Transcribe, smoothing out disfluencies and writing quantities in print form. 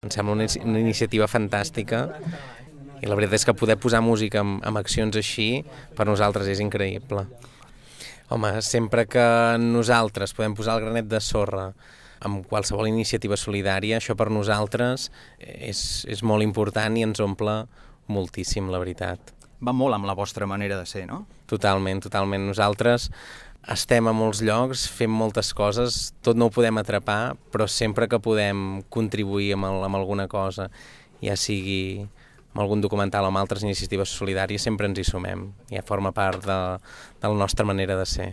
Em sembla una iniciativa fantàstica i la veritat és que poder posar música amb accions així per nosaltres és increïble. Home, sempre que nosaltres podem posar el granet de sorra amb qualsevol iniciativa solidària, això per nosaltres és molt important i ens omple moltíssim, la veritat. Va molt amb la vostra manera de ser, no? Totalment, totalment. Nosaltres estem a molts llocs, fem moltes coses, tot no ho podem atrapar, però sempre que podem contribuir amb alguna cosa, ja sigui amb algun documental o amb altres iniciatives solidàries, sempre ens hi sumem. Ja forma part de la nostra manera de ser.